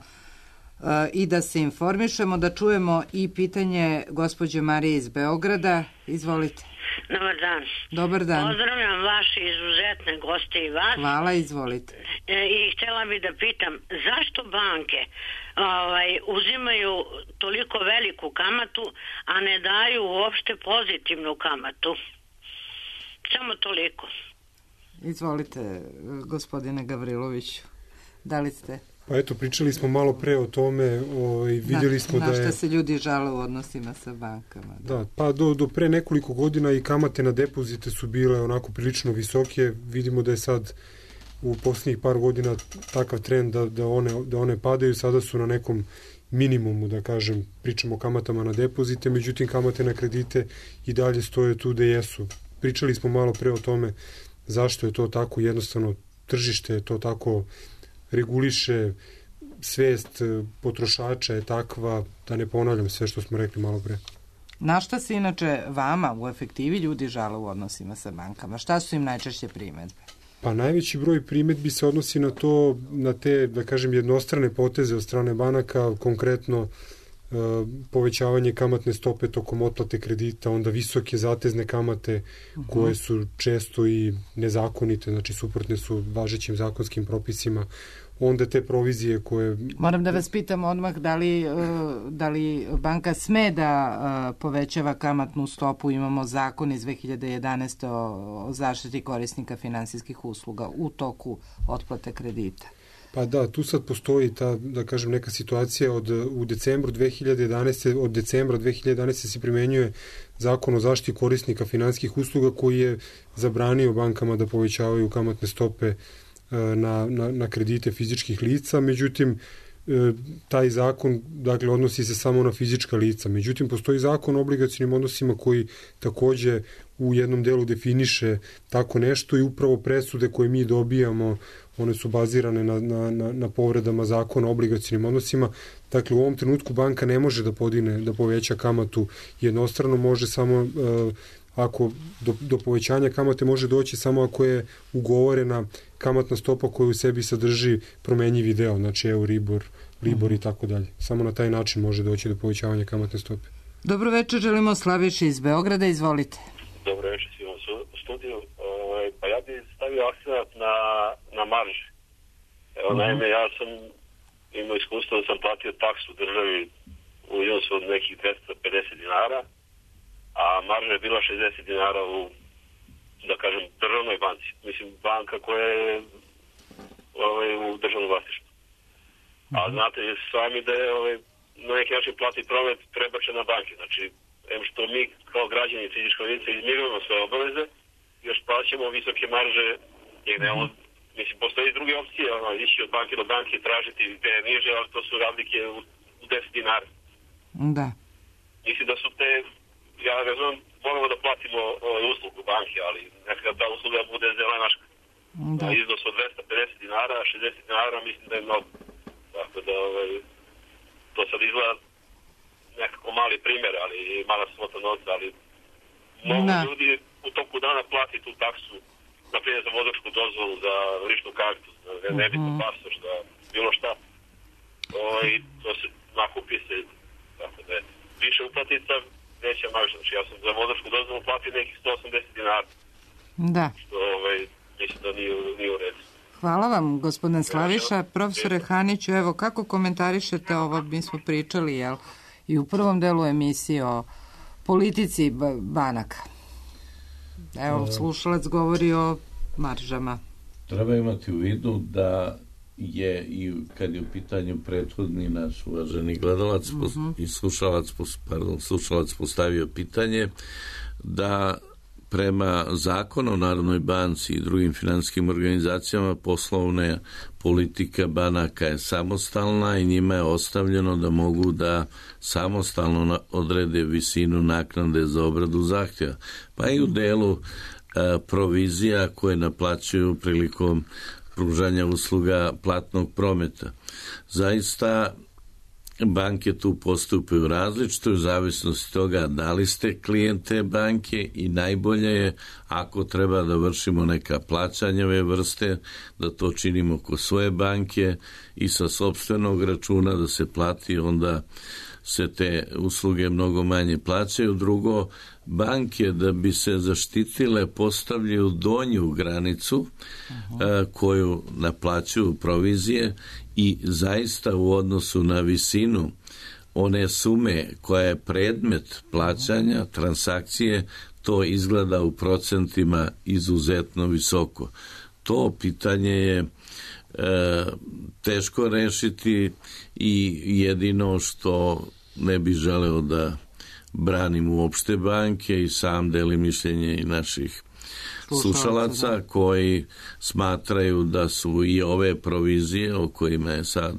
i da se informišemo, da čujemo i pitanje gospođe Marije iz Beograda. Izvolite. Dobar dan. Dobar dan. Pozdravljam vaše izuzetne goste i vas. Hvala, izvolite. I htjela bih da pitam, zašto banke uzimaju toliko veliku kamatu, a ne daju uopšte pozitivnu kamatu? Samo toliko. Izvolite, gospodine Gavriloviću, da li ste... Pa eto, pričali smo malo pre o tome, vidjeli smo da je... Na šta se ljudi žale u odnosima sa bankama. Da, pa do pre nekoliko godina i kamate na depozite su bile onako prilično visoke. Vidimo da je sad u posljednjih par godina takav trend da one padaju. Sada su na nekom minimumu, da kažem, pričamo o kamatama na depozite, međutim kamate na kredite i dalje stoje tu gde jesu. Pričali smo malo pre o tome zašto je to tako, jednostavno tržište je to tako reguliše, svest potrošača je takva, da ne ponavljam sve što smo rekli malo pre. Na šta se inače vama u efektivi ljudi žale u odnosima sa bankama? Šta su im najčešće primedbe? Pa najveći broj primedbi se odnosi na to, na te, da kažem, jednostrane poteze od strane banaka, konkretno povećavanje kamatne stope tokom otplate kredita, onda visoke zatezne kamate koje su često i nezakonite, znači suprotne su važećim zakonskim propisima, onda te provizije koje... Moram da vas pitam odmah da li banka sme da povećava kamatnu stopu, imamo zakon iz 2011. o zaštiti korisnika finansijskih usluga u toku otplate kredita. Pa da, tu sad postoji ta, da kažem, neka situacija od decembra 2011. se primenjuje zakon o zaštiti korisnika finansijskih usluga koji je zabranio bankama da povećavaju kamatne stope na kredite fizičkih lica, međutim taj zakon, dakle, odnosi se samo na fizička lica. Međutim, postoji zakon o obligacionim odnosima koji takođe u jednom delu definiše tako nešto i upravo presude koje mi dobijamo, one su bazirane na povredama zakona o obligacionim odnosima. Dakle, u ovom trenutku banka ne može da poveća kamatu jednostrano, može samo ako do povećanja kamate može doći samo ako je ugovorena kamatna stopa koja u sebi sadrži promenjivi deo, znači Euribor, Libor i tako dalje. Samo na taj način može doći do povećavanja kamatne stope. Dobro večer, želimo Slaviši iz Beograda, izvolite. Dobro večer svima u studiju. Pa ja bih stavio akcent na marže. Evo, naime, ja sam imao iskustvo da sam platio taksu državi u iznosu od nekih 250 dinara, a marža je bila 60 dinara u, da kažem, državnoj banci. Mislim, banka koja je u državnom vlasništvu. A znate sami da je na neki način platni promet prebačen na banke. Znači, što mi kao građani fizičkog lica izmirujemo sve obaveze, još plaćamo visoke marže, jer mislim, postoji i druge opcije, ići od banke do banke, tražiti gde je niže, ali to su razlike u 10 dinara. Da. Mislim da su te, ja razumem, moramo da platimo uslugu banke, ali nekada ta usluga bude zelenaška. Da. Iznos od 250 dinara, 60 dinara, mislim da je mnogo. Tako da, to sad izgleda nekako mali primjer, ali mala svota novca, ali mnogo ljudi u toku dana plati tu taksu, na primjer za vozačku dozvolu, za ličnu kartu, za nebitnu pasoš, za bilo šta. To se nakupi se, tako da je više uplatica, veća marža. Znači ja sam za vozačku dozvolu platio nekih 180 dinara. Da. Što mislim da nije u redu. Hvala vam, gospodin Slaviša. Profesore Haniću, evo, kako komentarišete ovo? Mi smo pričali, jel, i u prvom delu emisije o politici banaka. Evo, slušalac govori o maržama. Treba imati u vidu da je, i kad je u pitanju prethodni naš uvaženi gledalac i slušalac postavio pitanje, da prema zakonu o Narodnoj banci i drugim finansijskim organizacijama poslovna politika banaka je samostalna i njima je ostavljeno da mogu da samostalno odrede visinu naknade za obradu zahtjeva. Pa i u delu provizija koje naplaćuju prilikom pružanja usluga platnog prometa. Zaista banke tu postupaju različito u zavisnosti toga da li ste klijente banke i najbolje je ako treba da vršimo neka plaćanja ove vrste, da to činimo kod svoje banke i sa sopstvenog računa da se plati, onda se te usluge mnogo manje plaćaju. Drugo, banke da bi se zaštitile postavljaju donju granicu koju naplaćuju provizije i zaista u odnosu na visinu one sume koja je predmet plaćanja, transakcije, to izgleda u procentima izuzetno visoko. To pitanje je teško rešiti i jedino što ne bi želeo da branim uopšte banke i sam delim mišljenje i naših slušalaca koji smatraju da su i ove provizije o kojima je sad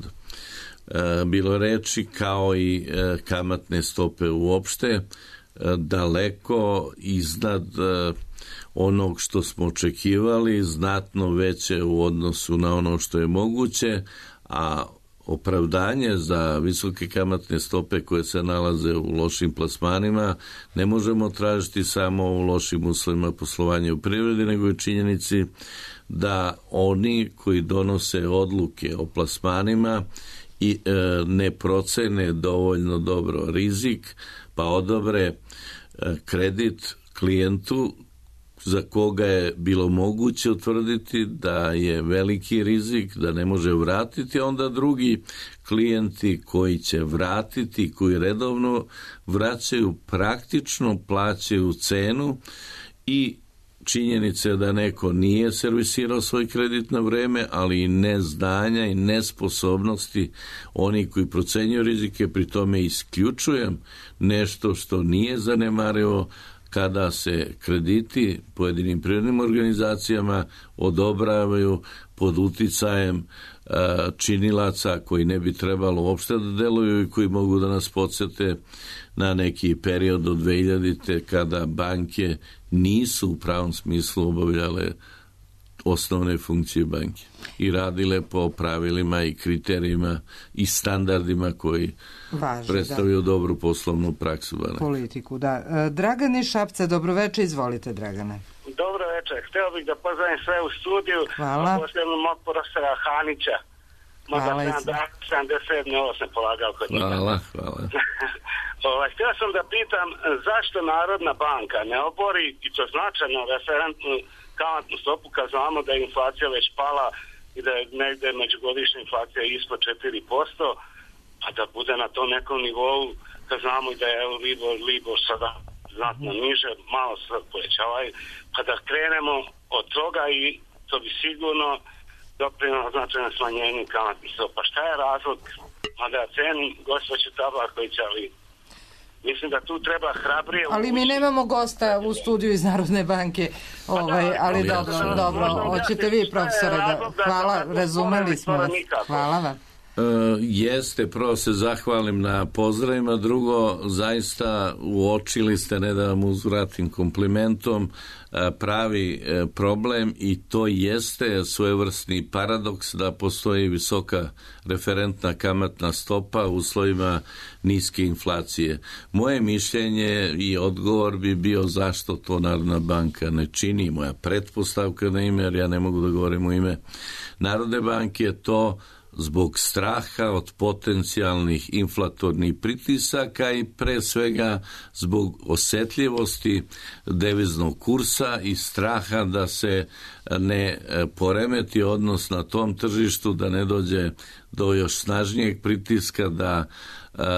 bilo reči, kao i kamatne stope uopšte, daleko iznad onog što smo očekivali, znatno veće u odnosu na ono što je moguće, a opravdanje za visoke kamatne stope koje se nalaze u lošim plasmanima ne možemo tražiti samo u lošim uslovima poslovanja u privredi, nego i činjenici da oni koji donose odluke o plasmanima i ne procene dovoljno dobro rizik, pa odobre kredit klijentu za koga je bilo moguće utvrditi da je veliki rizik, da ne može vratiti, onda drugi klijenti koji će vratiti, koji redovno vraćaju, praktično plaćaju cenu i činjenice da neko nije servisirao svoj kredit na vreme, ali i neznanja i nesposobnosti oni koji procenjuju rizike, pri tome isključujem nešto što nije zanemarivo kada se krediti pojedinim privrednim organizacijama odobravaju pod uticajem činilaca koji ne bi trebalo uopšte da deluju i koji mogu da nas podsete na neki period od 2000. kada banke nisu u pravom smislu obavljale osnovne funkcije banke i radile po pravilima i kriterijima i standardima koji predstavljaju dobru poslovnu praksu. Politiku, da. Dragan iz Šapca, dobroveče, izvolite, Dragane. Dobro večer, hteo bih da pozdravim sve u studiju, a posljedno mog profesora Hanića. Hvala. 77. ovo sam polagao kod njega. Hvala. Htio sam da pitam zašto Narodna banka ne obori, i to značajno, referentnu kamatnu stopu kad znamo da je inflacija već pala i da je negde međugodišnja inflacija ispod 4%, pa da bude na tom nekom nivou, kad znamo i da je Libor sada znatno niže, malo se povećavaju, pa da krenemo od toga i to bi sigurno doprinelo značajno smanjenju kamatnih stopa. Šta je razlog? A da cenim gospođu Tabaković, ali mislim da tu treba hrabrije... Ali mi nemamo gosta u studiju iz Narodne banke, ali dobro, hoćete vi, profesore, hvala, razumeli smo vas. Hvala vam. Jeste, prvo se zahvalim na pozdravima, drugo, zaista uočili ste, ne da vam uzvratim komplimentom, pravi problem i to jeste svojevrsni paradoks da postoji visoka referentna kamatna stopa u uslovima niske inflacije. Moje mišljenje i odgovor bi bio zašto to Narodna banka ne čini. Moja pretpostavka na ime, jer ja ne mogu da govorim u ime Narodne banke, je to zbog straha od potencijalnih inflatornih pritisaka i pre svega zbog osetljivosti deviznog kursa i straha da se ne poremeti odnos na tom tržištu, da ne dođe do još snažnijeg pritiska, da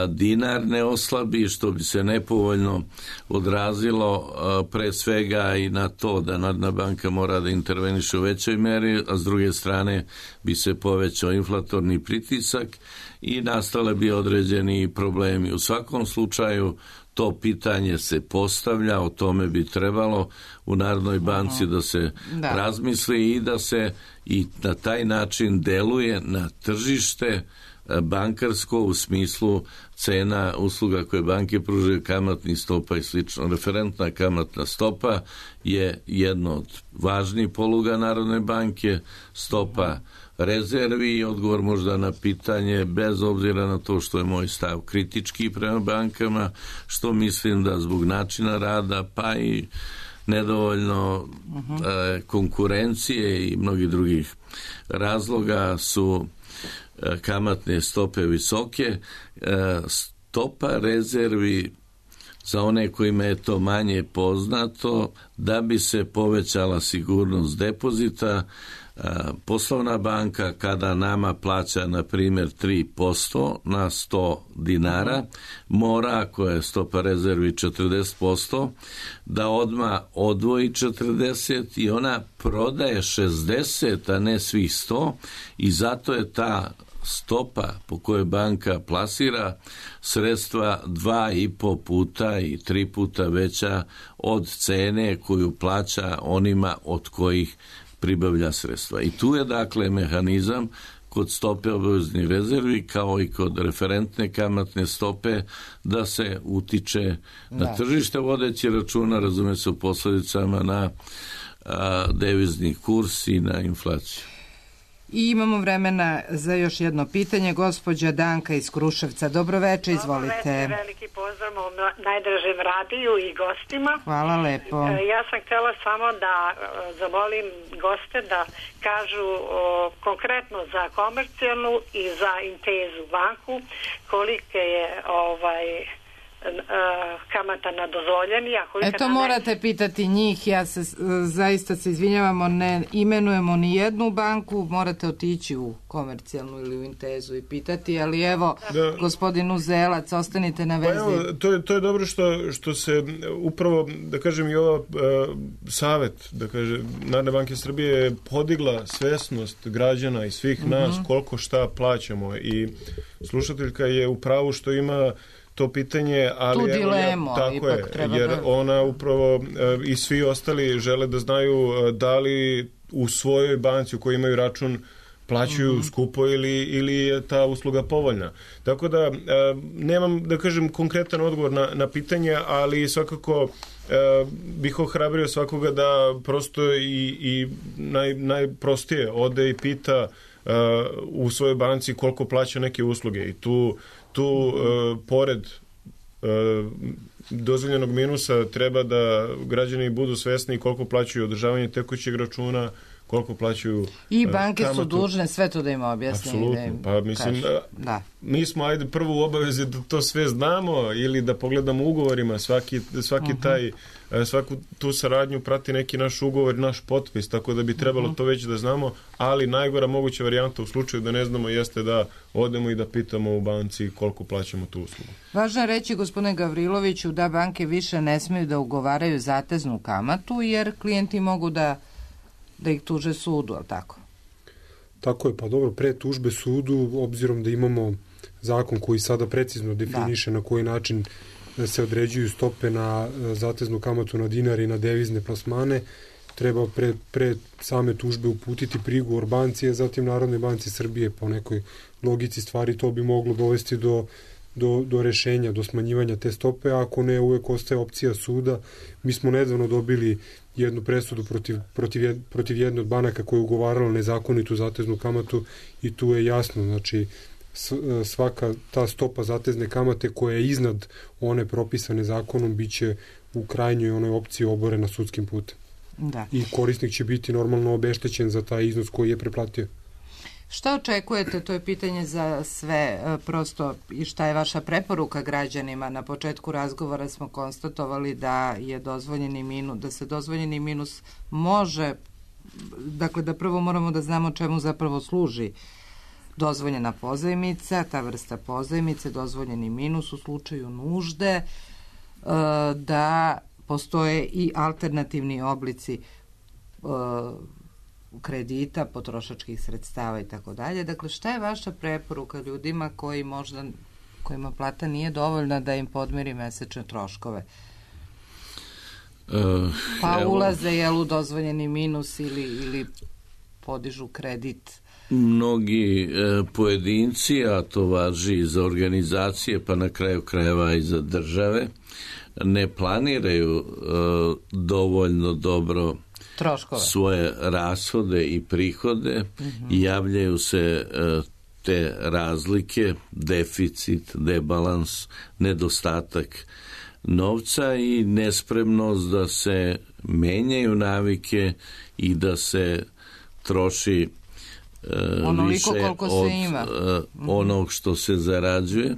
dinar ne oslabi, što bi se nepovoljno odrazilo pre svega i na to da Narodna banka mora da interveniše u većoj meri, a s druge strane bi se povećao inflatorni pritisak i nastale bi određeni problemi. U svakom slučaju to pitanje se postavlja, o tome bi trebalo u Narodnoj banci da se razmisli i da se i na taj način deluje na tržište bankarsko u smislu cena usluga koje banke pružaju, kamatnih stopa i slično. Referentna kamatna stopa je jedna od važnijih poluga Narodne banke, stopa rezervi i odgovor možda na pitanje, bez obzira na to što je moj stav kritički prema bankama, što mislim da zbog načina rada pa i nedovoljno konkurencije i mnogih drugih razloga su kamatne stope visoke. Stopa rezervi za one kojima je to manje poznato, da bi se povećala sigurnost depozita, Poslovna banka kada nama plaća na primjer 3% na 100 dinara, mora, ako je stopa rezervi 40%, da odmah odvoji 40 i ona prodaje 60, a ne svih 100, i zato je ta stopa po kojoj banka plasira sredstva 2,5 puta i 3 puta veća od cene koju plaća onima od kojih pribavlja sredstva. I tu je dakle mehanizam kod stope obaveznih rezervi kao i kod referentne kamatne stope da se utiče na tržište vodeći računa, razume se, u posledicama na devizni kurs i na inflaciju. I imamo vremena za još jedno pitanje. Gospođa Danka iz Kruševca. Dobroveče, izvolite. Dobroveče, veliki pozdrav u najdražem radiju i gostima. Hvala lepo. Ja sam htjela samo da zamolim goste da kažu konkretno za Komercijalnu i za Intezu banku kolike je kamata na dozvoljeni. Eto, morate pitati njih, ja se zaista se izvinjavamo, ne imenujemo ni jednu banku, morate otići u Komercijalnu ili u Intezu i pitati, ali evo, gospodin Uzelac, ostanite na vezi. Pa evo, to je dobro što se upravo, da kažem, i ova savet, da kažem, Narodne banke Srbije je podigla svesnost građana i svih nas koliko šta plaćamo, i slušateljka je u pravu što ima to pitanje, ali tu dilemu, tako je, jer ona upravo i svi ostali žele da znaju da li u svojoj banci u kojoj imaju račun plaćaju skupo ili je ta usluga povoljna. Tako da nemam, da kažem, konkretan odgovor na pitanje, ali svakako bih ohrabrio svakoga da prosto i najprostije ode i pita u svojoj banci koliko plaća neke usluge, i tu pored dozvoljenog minusa treba da građani budu svesni koliko plaćaju održavanje tekućeg računa, koliko plaćaju i banke kamatu. Su dužne sve to da im objasne. Apsolutno, pa mislim mi smo prvo u obavezi da to sve znamo ili da pogledamo u ugovorima, svaku tu saradnju prati neki naš ugovor, naš potpis, tako da bi trebalo to već da znamo, ali najgora moguća varijanta u slučaju da ne znamo jeste da odemo i da pitamo u banci koliko plaćamo tu uslugu. Važno je reći, gospodine Gavriloviću, da banke više ne smiju da ugovaraju zateznu kamatu, jer klijenti mogu da ih tuže sudu, ali tako? Tako je, pa dobro, pre tužbe sudu, obzirom da imamo zakon koji sada precizno definiše na koji način se određuju stope na zateznu kamatu na dinar i na devizne plasmane, treba pre same tužbe uputiti prigovor banci, a zatim Narodnoj banci Srbije. Po nekoj logici stvari to bi moglo dovesti do rešenja, do smanjivanja te stope, a ako ne, uvek ostaje opcija suda. Mi smo nedavno dobili jednu presudu protiv jedne od banaka koja je ugovarala nezakonitu zateznu kamatu, i tu je jasno, znači svaka ta stopa zatezne kamate koja je iznad one propisane zakonom biće u krajnjoj onoj opciji oborena sudskim putem. Da. I korisnik će biti normalno obeštećen za taj iznos koji je preplatio. Šta očekujete, to je pitanje za sve, prosto, i šta je vaša preporuka građanima? Na početku razgovora smo konstatovali da je da se dozvoljeni minus može, dakle da prvo moramo da znamo čemu zapravo služi dozvoljena pozajmica, ta vrsta pozajmice, dozvoljeni minus u slučaju nužde, da postoje i alternativni oblici kredita, potrošačkih sredstava i tako dalje. Dakle, šta je vaša preporuka ljudima kojima plata nije dovoljna da im podmiri mesečne troškove? Ulaze u dozvoljeni minus ili podižu kredit? Mnogi pojedinci, a to važi i za organizacije, pa na kraju krajeva i za države, ne planiraju dovoljno dobro troškove, svoje rashode i prihode, i javljaju se te razlike, deficit, debalans, nedostatak novca i nespremnost da se menjaju navike i da se troši više od onog što se zarađuje.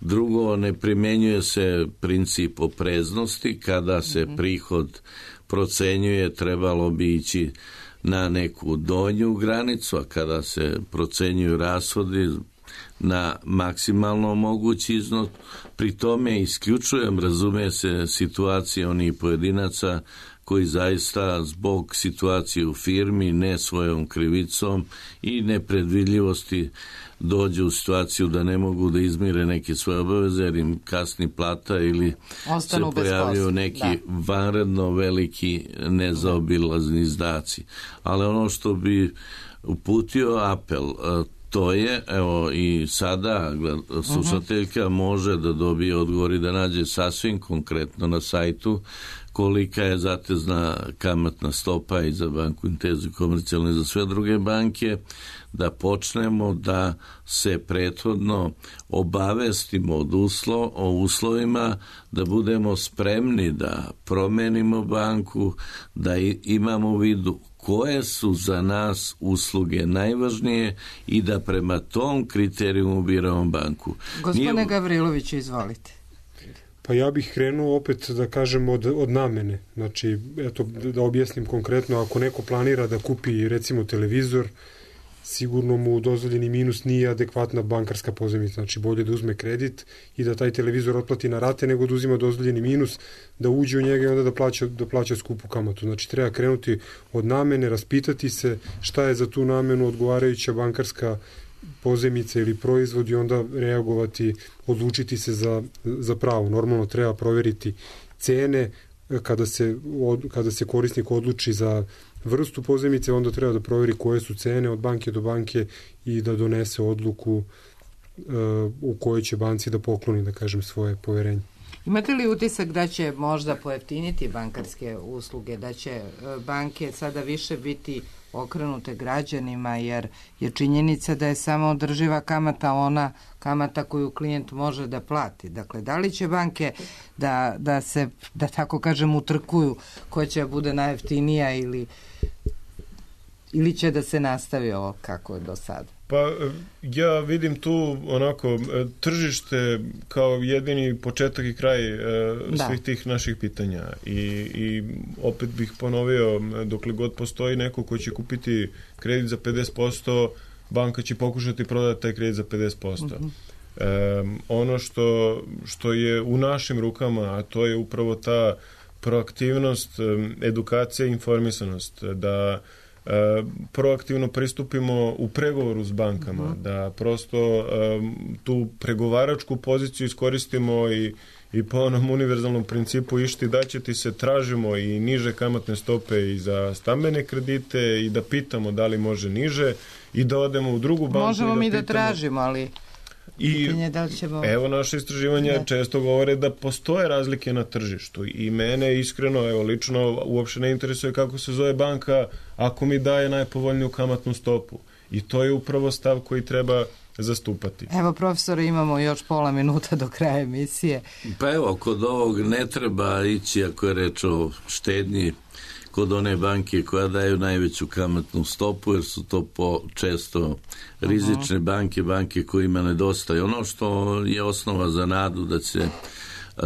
Drugo, ne primenjuje se princip opreznosti. Kada se prihod procenjuje, trebalo bi ići na neku donju granicu, a kada se procenjuju rashodi na maksimalno mogući iznos. Pri tome isključujem, razume se, situacije onih pojedinaca koji zaista zbog situacije u firmi, ne svojom krivicom i nepredvidljivosti dođu u situaciju da ne mogu da izmire neke svoje obaveze jer im kasni plata ili ostanu se pojavljaju neki vanredno veliki nezaobilazni izdaci. Ali ono što bi uputio apel, to je, evo i sada slušateljka može da dobije odgovor i da nađe sasvim konkretno na sajtu kolika je zatezna kamatna stopa i za banku Intezu i Komercijalnu i za sve druge banke, da počnemo da se prethodno obavestimo o uslovima, da budemo spremni da promenimo banku, da imamo u vidu koje su za nas usluge najvažnije i da prema tom kriterijumu biramo banku. Gospodine Gavriloviću, izvolite. Pa ja bih krenuo opet da kažem od namene. Znači, eto, da objasnim konkretno, ako neko planira da kupi recimo televizor, sigurno mu dozvoljeni minus nije adekvatna bankarska pozajmica. Znači, bolje da uzme kredit i da taj televizor otplati na rate nego da uzima dozvoljeni minus, da uđe u njega i onda da plaća skupu kamatu. Znači, treba krenuti od namene, raspitati se šta je za tu namenu odgovarajuća bankarska pozajmica ili proizvod i onda reagovati, odlučiti se za pravo. Normalno treba proveriti cene kada se korisnik odluči za vrstu pozajmice, onda treba da proveri koje su cene od banke do banke i da donese odluku u kojoj će banci da pokloni, da kažem, svoje poverenje. Imate li utisak da će možda pojeftiniti bankarske usluge, da će banke sada više biti okrenute građanima, jer je činjenica da je samo održiva kamata ona kamata koju klijent može da plati. Dakle, da li će banke da se, da tako kažem, utrkuju ko će bude najjeftinija ili će da se nastavi ovo kako je do sada? Pa ja vidim tu onako tržište kao jedini početak i kraj svih tih naših pitanja i opet bih ponovio, dokle god postoji neko ko će kupiti kredit za 50%, banka će pokušati prodati taj kredit za 50%. Ono što je u našim rukama, a to je upravo ta proaktivnost, edukacija i informisanost, da proaktivno pristupimo u pregovoru s bankama, da prosto tu pregovaračku poziciju iskoristimo i po onom univerzalnom principu išti da će ti se, tražimo i niže kamatne stope i za stambene kredite i da pitamo da li može niže i da odemo u drugu banku. Možemo mi da tražimo, ali pitanje da li ćemo... Evo, naše istraživanja često govore da postoje razlike na tržištu i mene iskreno, evo lično, uopšte ne interesuje kako se zove banka ako mi daje najpovoljniju kamatnu stopu. I to je upravo stav koji treba zastupati. Evo, profesore, imamo još pola minuta do kraja emisije. Pa evo, kod ovog ne treba ići, ako je reč o štednji, kod one banke koja daju najveću kamatnu stopu, jer su to često rizične banke kojima nedostaje. Ono što je osnova za nadu da će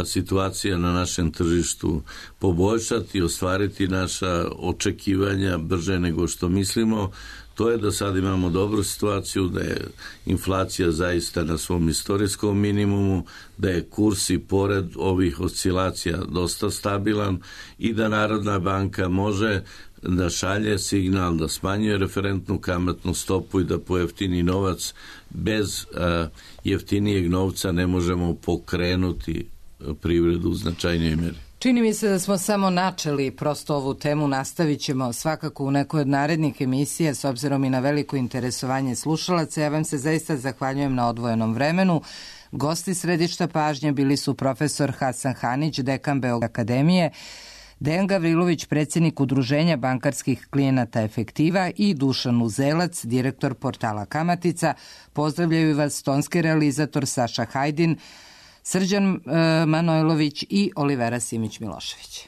situacija na našem tržištu poboljšati i ostvariti naša očekivanja brže nego što mislimo, to je da sad imamo dobru situaciju, da je inflacija zaista na svom istorijskom minimumu, da je kurs i pored ovih oscilacija dosta stabilan i da Narodna banka može da šalje signal, da smanjuje referentnu kamatnu stopu i da pojeftini novac. Bez jeftinijeg novca ne možemo pokrenuti privredu u značajnoj meri. Čini mi se da smo samo načeli prosto ovu temu, nastavit ćemo svakako u nekoj od narednih emisija s obzirom i na veliko interesovanje slušalaca. Ja vam se zaista zahvaljujem na odvojenom vremenu. Gosti središta pažnje bili su profesor Hasan Hanić, dekan Beogradske akademije, Dejan Gavrilović, predsjednik Udruženja bankarskih klijenata Efektiva i Dušan Uzelac, direktor portala Kamatica. Pozdravljaju vas tonski realizator Saša Hajdin, Srđan Manojlović i Olivera Simić Milošević.